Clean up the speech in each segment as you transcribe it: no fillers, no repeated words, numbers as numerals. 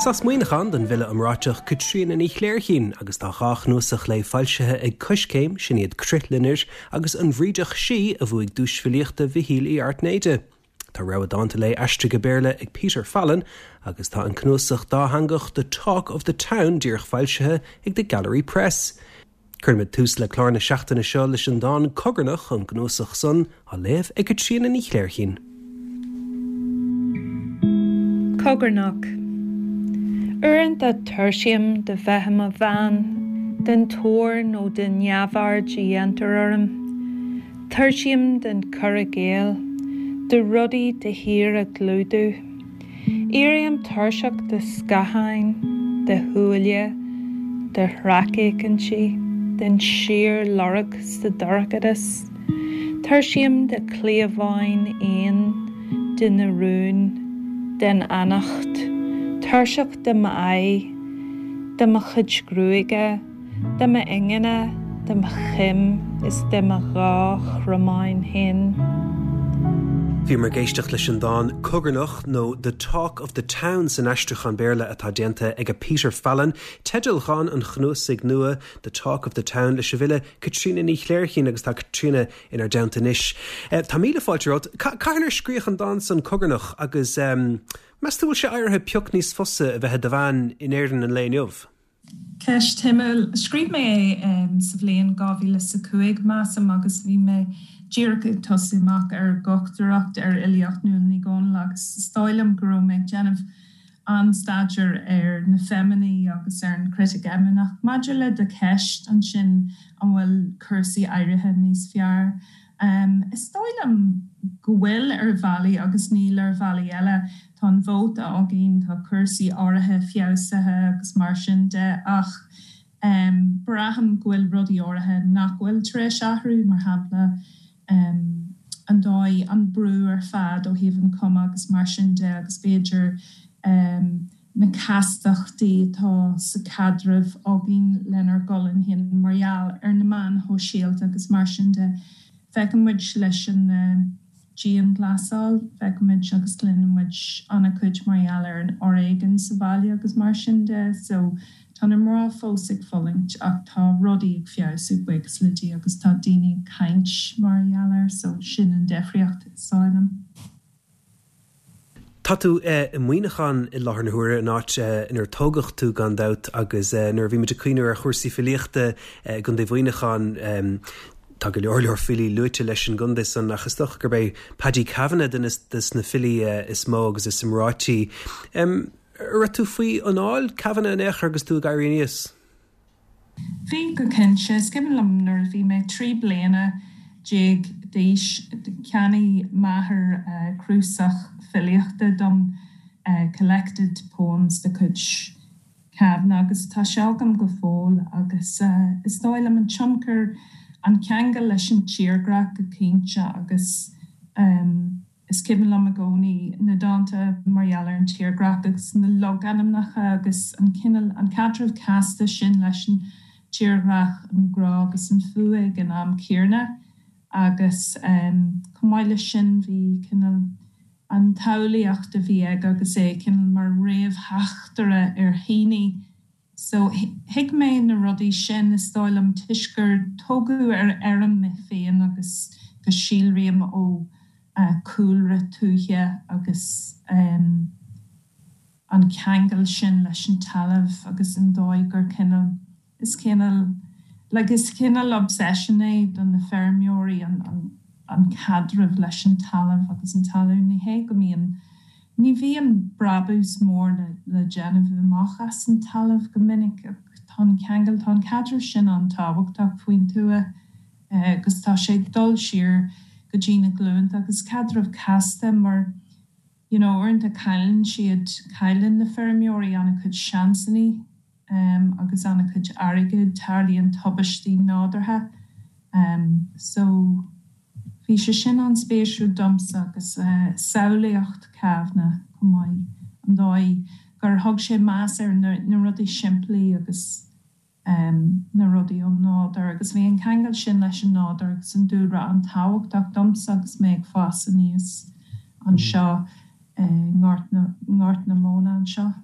Is as Muineachán don bhfile iomráiteach Caitríona Ní Chléirchín agus tá dha chnuasach léi foilsithe ag Coiscéim, sin iad Crithloinnir agus An Bhrídeach Sí a bhuaigh Duais Filíochta Mhichíl Uí Airtnéide. Tá rogha dánta léi aistrithe go Béarla ag Peter Fallon agus tá an cnuasach dátheangach The Talk of the Town díreach foilsithe ag The Gallery Press. Cuirimid tús le clár na seachtaine seo leis an dán 'Cogarnach' ón gcnuasach san, á léamh ag Caitríona Ní Chléirchín. Cogarnach. Uaireanta tuirsím de bheith i mo bhean, den tóir nó den neamhaird a dhéantar orm. Tuirsím den chur i gcéill, de rudaí de shíor a chlúdú. Éirím tuirseach de scátháin, de shúile, de shracfhéachaintí, den síorlorg sa dorchadas. Tuirsím de chliabháin éan, de na rúin, den fhanacht. Tuirseach de m'aghaidh, de mo chuid gruaige. De m'ingne, de mo chim is de mo dhá chromán féin. Bhíomar ag éisteacht leis an dán 'Cogarnach' nó 'The Talk of the Town' san aistriúchán Béarla atá déanta ag Peter Fallon, teideal dhán an chnuasaigh nua 'The Talk of the Town' leis an bhfile Caitríona Ní Chléirchín agus tá Caitríona inár dteannta anois. Tá míle fáilte romhat. Cathain ar scríodh an dán san 'Cogarnach' agus meas tú bhfuil sé éirithe pioc níos fusa a bheith i do bhean in Éirinn an lae inniu? Ceist shuimiúil. Scríobh mé é sa bhliain 2005, measaim, agus bhí mé díreach ag tosú amach ar dhochtúireacht ar fhilíocht Nuala Ní Dhomhnaill agus is dóigh liom go raibh mé ag déanamh an-staidéar ar na feiminí agus ar an chritic fheimineach. Maidir le do cheist ansin, an bhfuil cúrsaí éirithe níos fearr? Is dóigh liom go bhfuil ar bhealaí agus níl ar bhealaí eile. Tá an vóta againn, tá cúrsaí áirithe feabhsaithe agus mar sin de ach braithim go bhfuil rudaí áirithe nach bhfuil tar éis athrú, mar shampla an dóigh, an brú ar fad ó thaobh an chuma agus mar sin de agus b'fhéidir na castachtaí atá sa chaidreamh againn lenár gcolainn féin mar gheall ar na meáin shóisialta agus mar sin de. Feiceann muid leis an dianghlasáil, feiceann muid agus cluineann muid an-chuid mar gheall ar an fhoréigean sa bhaile agus mar sin de. So tá na mná fós ag fulaingt ach tá rudaí ag feabhsú, buíochas le Dia, agus tá daoine ag caint mar gheall air so sin an difríocht, is dóigh liom. Tá tú i Muineachán i láthair na huaire, an áit inar tógadh tú gan dabht, agus nuair a bhí muid ag cuimhniú ar chúrsaí filíochta i gContae Mhuineacháin, tá go leor leor filí luaite leis an gcontae san, ach is dócha gurb é Paddy Kavanagh duine des na filí is mó agus is iomráití. An raibh tú faoi anáil Kavanagh in aon chor agus tú ag éirí aníos? Bhí, go cinnte. Is cuimhin liom nuair a bhí mé 13 bliana d'aois, cheannaigh m'athair cnuasach filíochta dom, Collected Poems de chuid Kavanagh, agus tá sé agam go fóill agus is dóigh liom an tionchar, an ceangal leis an tírdhreach go cinnte agus. Is cuimhin liom i gcónaí na dánta mar gheall ar an tírdhreach agus na logainmneacha agus an cineál, an caidreamh casta sin leis an tírdhreach, an grá agus an fuath ag an am céanna. Agus chomh maith leis sin bhí cineál an tsamhlaíocht a bhí aige agus é cineál mar réamhtheachtaire ar Heaney. So, thuig mé na rudaí sin, is dóigh liom, toisc gur tógadh ar fheirm mé féin agus go síolraím ó chúlra tuaithe agus an ceangal sin leis an talamh agus an dóigh gur cineál, is cineál, like, is cineál obsession é do na feirmeoirí an, an caidreamh leis an talamh agus an talún. Ní hé go mbíonn, ní bhíonn brabús mór le déanamh amach as an talamh go minic ach tá an ceangal, tá an caidreamh sin an-tábhachtach faoin tuath agus tá sé ag dul siar go dtí na glúnta agus caidreamh casta mar you know uaireanta cailleann siad, cailleann na feirmeoirí an-chuid seansannaí. agus an-chuid airgid, tarlaíonn tubaistí nádúrtha. So, bhí sé sin an-spéisiúil domsa agus samhlaíocht Kavanagh chomh maith, an dóigh gur thug sé meas ar na rudaí simplí agus na rudaí ón nádúr agus bhí an ceangal sin leis an nádúr agus an dúlra an-tábhachtach domsa agus mé ag fás aníos anseo i nGort na Móna anseo.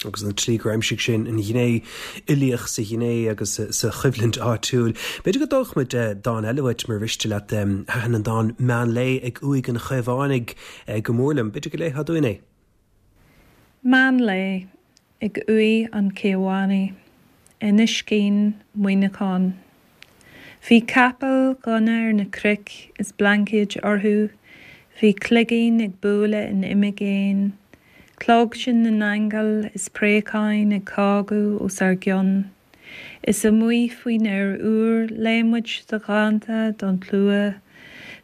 Agus an tslí gur aimsigh sé an ghné uilíoch sa ghné agus sa choimhlint áitiúil. B'fhéidir go dtógfadh muid dán eile uait, mura mhiste leat. Thaitin an dán 'Meán Lae ag Uaigh an Chaomhánaigh' go mór liom. B'fhéidir go léifeá dúinn é? Meán Lae ag Uaigh an Chaomhánaigh, Inis Caoin, Muineachán. Bhí capaill dhonna ar na cnoic is blaincéid orthu, bhí cloigín ag bualadh in imigéin, clóigsean na n-aingeal is préacháin ag cágadh os ár gcionn. Is amuigh faoin aer úr léigh muid do dhánta don tslua.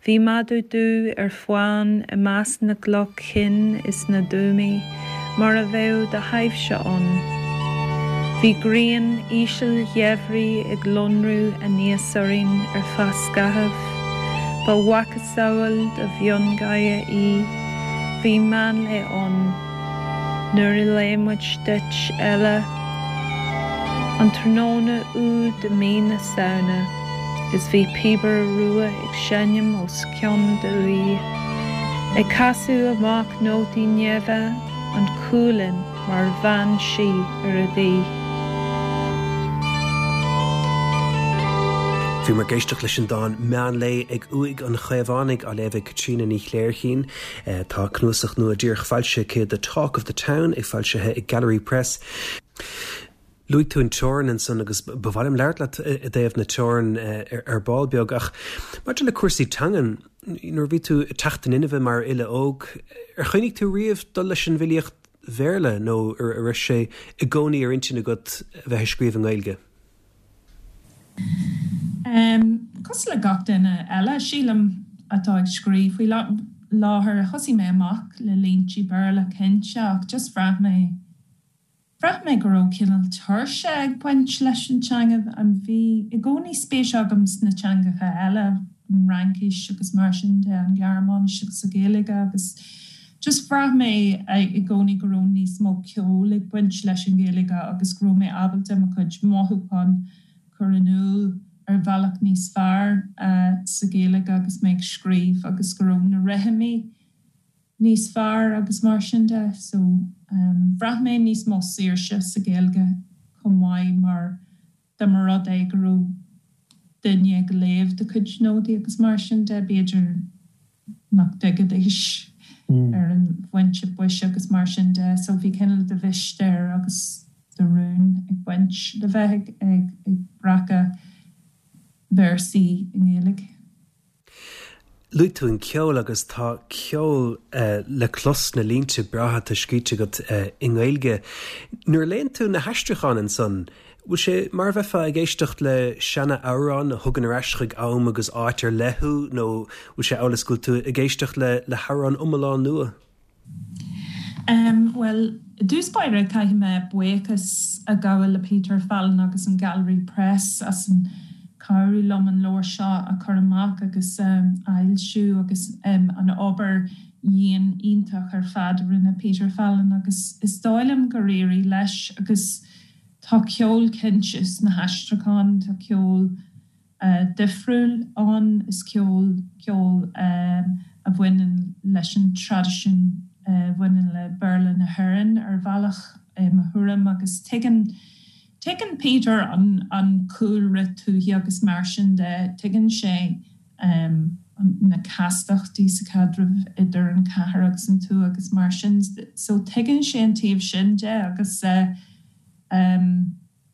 Bhí madadh dubh ar fán i measc na gcloch chinn is na dtuamaí mar a bheadh do thaibhse ann. Bhí grian íseal gheimhridh ag lonrú aníos orainn ar feadh scaithimh. Ba mhacasamhail de mhiongháire í. Bhí meánlae ann. Nuair a léigh muid duit, eile, an tráthnóna úd i mí na Samhna, is bhí píobaire rua ag seinm os cionn d'uaighe, ag casadh amach nótaí neimhe, an chualann mar bhean sí ar a díth. Bhíomar ag éisteacht leis an dán 'Meán Lae ag Uaigh an Chaomhánaigh' á léamh ag Caitríona Ní Chléirchín. Tá cnuasach nua díreach foilsithe aici, The Talk of the Town, é foilsithe ag Gallery Press. Luaigh tú an teorainn ansan agus ba mhaith liom labhairt leat i dtaobh na teorann ar ball beag ach maidir le cúrsaí teangan, nuair a bhí tú ag teacht in inmhe mar fhile óg, ar chuimhnigh tú riamh dul leis an bhfilíocht Bhéarla nó an raibh sé i gcónaí ar intinn agat a bheith ag scríobh i nGaeilge? Cosúil le gach duine eile, sílim, atá ag scríobh faoi láthair, thosaigh mé amach le línte Béarla cinnte ach just bhraith mé, bhraith mé go raibh cineál tuirse ag baint leis an teanga. Bhí i gcónaí spéis agam sna teangacha eile, an Fhraincis agus mar sin de, an Ghearmáinis agus an Ghaeilge agus just bhraith mé i gcónaí go raibh níos mó ceoil ag baint leis an Ghaeilge agus go raibh mé ábalta mo chuid mothúchán cur in iúl ar bhealach níos fearr sa Ghaeilge agus mé ag scríobh agus go raibh na rithimí níos fearr agus mar sin de. So bhraith mé níos mó saoirse sa Ghaeilge chomh maith mar dá mba rud é go raibh duine ag léamh do chuid nótaí agus mar sin de, b'fhéidir nach dtuigfidís ar an bpointe boise agus mar sin de. So bhí cineál de mhistéir agus de rún ag baint le bheith ag breacadh véarsaí i nGaeilge. Luaigh tú an ceol agus tá ceol le clos sna línte breátha atá scríte agat i nGaeilge. Nuair a léann tú na haistriúcháin ansan, bhfuil sé mar a bheifeá ag éisteacht le seana-amhrán a thugann ar ais chuig am agus áit ar leith thú nó bhfuil sé amhail is go bhfuil tú ag éisteacht le hamhrán iomlán nua? Bhuel, i dtús báire caithfidh mé buíochas a ghabháil le Peter Fallon agus an Gallery Press as an cabhrú liom an leabhar seo a chur amach agus a fhoilsiú agus an obair dhian iontach ar fad a rinne Peter Fallon agus is dóigh liom gur éirigh leis agus tá ceol cinnte sna haistriúcháin, tá ceol. difriúil ann. Is ceol ceol a bhaineann leis an traidisiún a bhaineann le Béarla na hÉireann ar bhealach, i mo thuairim, agus tuigeann tuigeann Peter an an cúlra tuaithe agus mar sin de. Tuigeann sé na castachtaí sa chaidreamh idir an chathair agus an tuath agus mar sin. So tuigeann sé an taobh sin de agus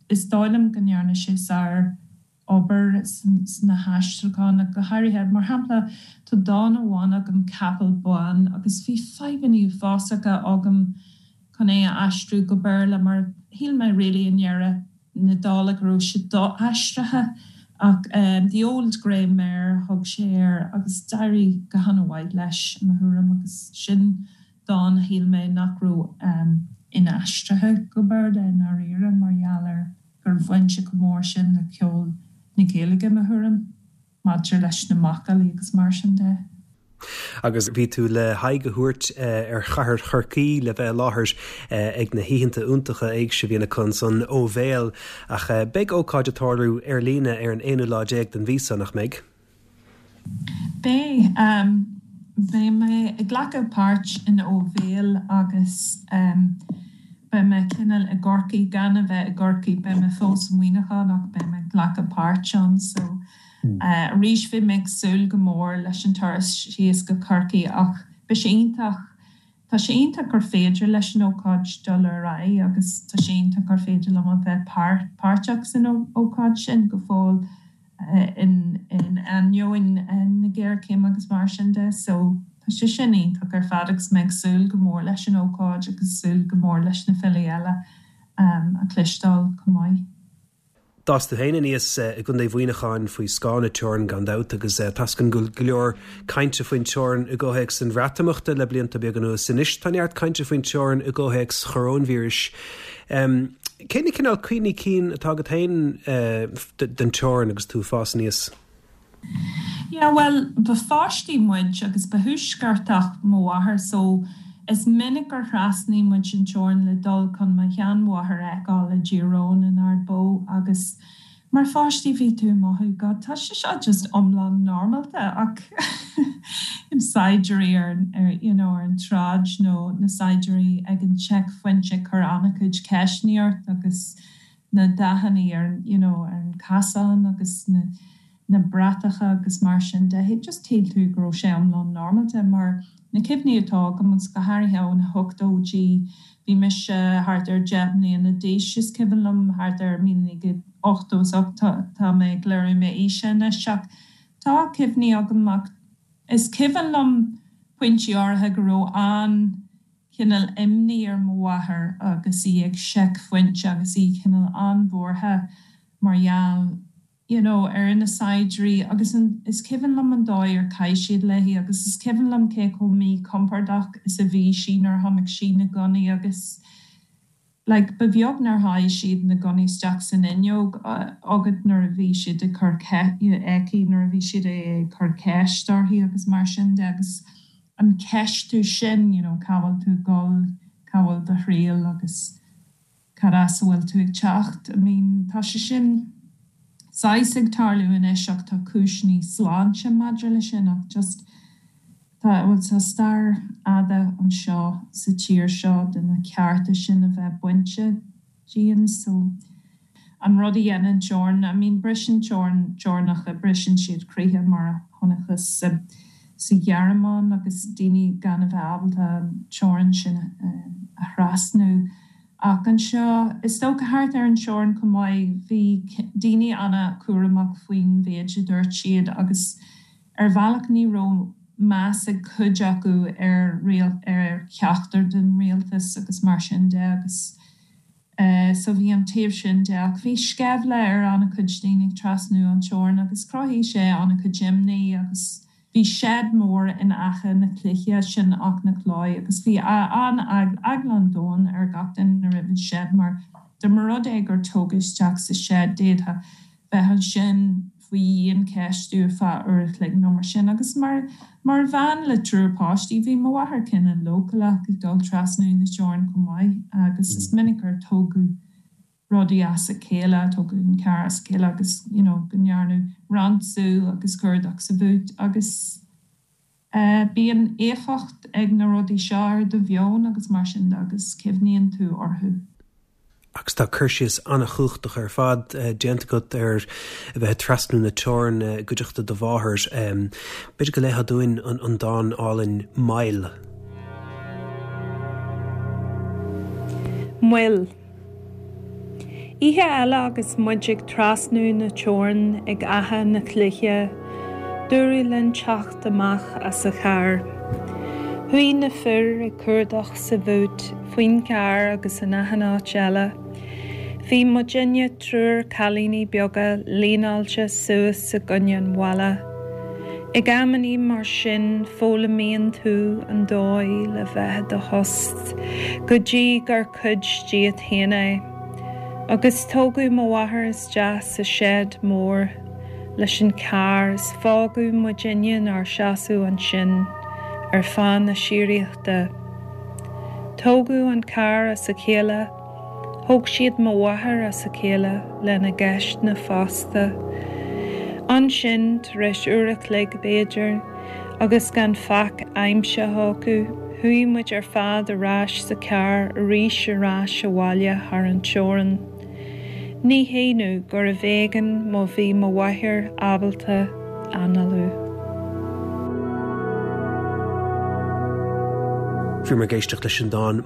is dóigh liom go ndearna sé sár obair sna haistriúcháin ach go háirithe. Mar shampla, tá dán amháin agam, Capall Bán, agus bhí fadhbanna uafásacha agam chun é a aistriú go Béarla mar shíl mé really i ndeireadh na dála go raibh sé do-aistrithe. Ach The Old Grey Mare a thug sé air agus d'éirigh go han-mhaith leis, i mo thuairim, agus sin dán a shíl mé nach raibh inaistrithe go Béarla i ndáiríre mar gheall ar gur bhain sé chomh mór sin le ceol na Gaeilge, i mo thuairim, maidir leis na macallaí agus mar sin de. Agus bhí tú le haghaidh a thabhairt ar chathair Chorcaí le bheith i láthair ag na hoícheanta iontacha éigse a bhíonn acu ansan ó bhéal. Ach beidh ócáid ag tarlú ar líne ar an aonú lá déag den mhí seo, nach mbeidh? Beidh. Beidh mé ag glacadh páirt in Ó Bhéal agus. beidh mé cineál i gCorcaigh gan a bheith i gCorcaigh, beidh mé fós i Muineachán ach beidh mé ag glacadh páirt ann so arís bhí mé ag súil go mór leis an turas síos go Corcaigh ach beidh sé iontach, tá sé iontach gur féidir leis an ócáid dul ar aghaidh agus tá sé iontach gur féidir liom a bheith páirteach san ócáid sin go fóill. in ainneoin na géarchéime agus mar sin de. So tá sé sin iontach ar fad agus mé ag súil go mór leis an ócáid agus súil go mór leis na filí eile a chloisteáil chomh maith. D'fhás tú féin aníos i gContae Mhuineacháin faoi scáth na teorann gan dabht agus tá a fhios againn go bhfuil go leor cainte faoin teorainn i gcomhthéacs an Bhreatimeachta le blianta beaga anuas. Anois tá neart cainte faoin teorainn i gcomhthéacs choróinvíris. Cé na cineál cuimhní cinn atá agat féin den teorainn agus tú ag fás aníos? Yeah, bhuel, ba pháistí muid agus ba Thuaisceartach mo mháthair so is minic gur thrasnaigh muid an teorainn le dul chun mo sheanmháthair a fheiceáil i dTír Eoghain in Ard Bó agus Mar pháistí bhí tú ag mothú God tá sé seo just iomlán normálta ach saighdiúirí ar ar you know ar an tsráid nó na saighdiúirí ag an checkphointe ag cur an-chuid ceisteanna ort agus na dathanna ar an you know ar an casán agus na na bratacha agus mar sin de. Just shíl tú go raibh sé iomlán normálta mar na cuimhní atá agam agus go háirithe ó na hochtóidí, bhí mise thart ar 10 mbliana d'aois is cuimhin liom, thart ar 1988, tá mé ag léiriú m'aoise anois ach tá cuimhní agam ach is cuimhin liom pointí áirithe go raibh an cineál imní ar mo mháthair agus í ag seicphointe agus í cineál an-bhuartha mar gheall you know, ar na saighdiúirí agus an, is cuimhin liom an dóigh ar chaith siad léi agus is cuimhin liom cé chomh míchompordach is a bhí sí nuair a chonaic sí na gunnaí agus like ba bheag nár sháigh siad na gunnaí isteach san fhuinneog agat nuair a bhí siad ag cur aici nuair a bhí siad ag cur ceist uirthi agus mar sin de agus an ceistiú sin, you know, cá bhfuil tú ag dul, cá bhfuil do thriall agus. Cad as a bhfuil tú ag teacht? I mean, tá sé sin saghas ag tarlú anois ach tá cúiseanna sláinte maidir leis sin ach just tá, bhuel tá stair fhada anseo sa tír seo de na cearta sin a bheith bainte dínn so an rud a dhéanann teorainn, I mean briseann teorainn, teorainneacha, briseann siad croíthe mar a chonacthas sa sa Ghearmáin agus daoine gan a bheith ábalta an teorainn sin a thrasnú. Ach anseo, is dócha thart ar an teorainn chomh maith, bhí daoine an-chúramach faoin mhéid a dúirt siad agus ar bhealach ní raibh meas ag cuid acu ar ar cheachtar den rialtas agus mar sin de agus so bhí an taobh sin de. Ach bhí sceimhle ar an-chuid daoine ag trasnú an teorainn agus chruthaigh sé an-chuid imní agus Bhí seid mór in aice na cloiche, sin Aughnacloy, agus bhí an-eagla an domhain ar gach duine roimh an seid mar dá mba rud é gur tógadh isteach sa seid d'fhéadfá bheith ansin faoi dhiancheistiú ar feadh uair a chloig nó mar sin. Agus mar mar bhean le triúr páistí bhí mo mháthair cineál leochaileach ag dul trasna na teorann chomh maith agus is minic gur tógadh rudaí as a chéile, tógadh an carr as a chéile agus you know go ndearnadh ransú agus cuardach sa bhúit agus eh bíonn éifeacht ag na rudaí seo ar do mheon agus mar sin de agus cuimhníonn tú orthu. Agus tá cur síos an-chumhachtach ar fad déanta agat ar a bheith ag trasnú na teorann i gcuideachta do mháthar. B'fhéidir go léifeá dúinn an dán álainn 'Moill'. Moill. Oíche eile agus muid ag trasnú na teorann ag Áth na Cloiche, dúradh linn teacht amach as an charr. Chuaigh na fir ag cuardach sa bhúit, faoin gcarr agus in achan áit eile. Bhí muidinne, triúr cailíní beaga, líneáilte suas i gcoinne an bhalla. Ag amannaí mar sin foghlaimíonn tú an dóigh le bheith i do thost go dtí gur cuid díot féin é. Agus tógadh mo mháthair isteach sa seid mór leis an carr is fágadh muidinne inár seasamh ansin ar feadh na síoraíochta. Tógadh an carr as a chéile. Thóg siad mo mháthair as a chéile lena gceisteanna fosta. Ansin, tar éis uair a chloig b'fhéidir, agus gan faic aimsithe acu. Chuaigh muid ar fad ar ais sa charr arís ar ais abhaile thar an teorainn. Ní hionadh gurbh éigean má bhí mo mháthair ábalta análú. Bhíomar ag éisteacht leis an dán.